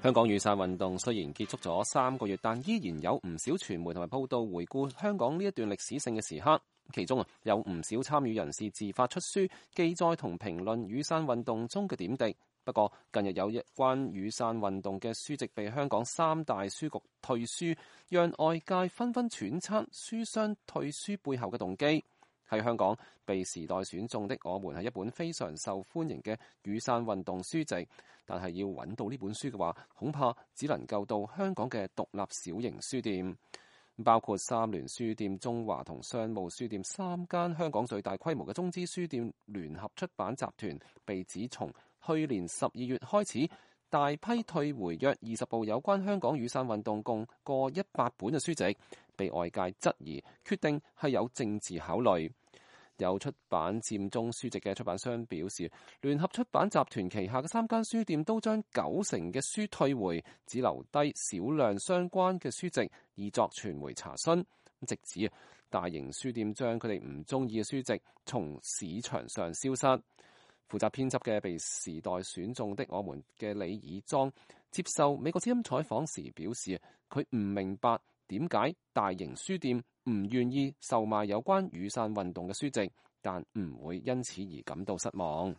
香港雨傘運動雖然結束咗3個月，但依然有唔少傳媒同埋報道回顧香港呢一段歷史性嘅時刻。其中有唔少參與人士自發出書，記載同評論雨傘運動中嘅點滴。不過近日有一關雨傘運動嘅書籍被香港3大書局退書，讓外界紛紛揣測書商退書背後嘅動機。喺香港被時代選中的我們係一本非常受歡迎嘅雨傘運動書籍，但係要揾到呢本書嘅話，恐怕只能夠到香港嘅獨立小型書店，包括三聯書店、中華同商務書店3間香港最大規模嘅中資書店聯合出版集團，被指從去年12月開始大批退回約20部有關香港雨傘運動共過100本嘅書籍，被外界質疑決定係有政治考慮。有出版佔中書籍嘅出版商表示，聯合出版集團旗下嘅3間書店都將90%嘅書退回，只留低少量相關嘅書籍以作傳媒查詢，直指大型書店將佢哋唔中意嘅書籍從市場上消失。負責編輯嘅被時代選中的我們嘅李以莊接受美國之音採訪時表示，佢唔明白點解大型書店唔願意售賣有關雨傘運動嘅書籍，但唔會因此而感到失望。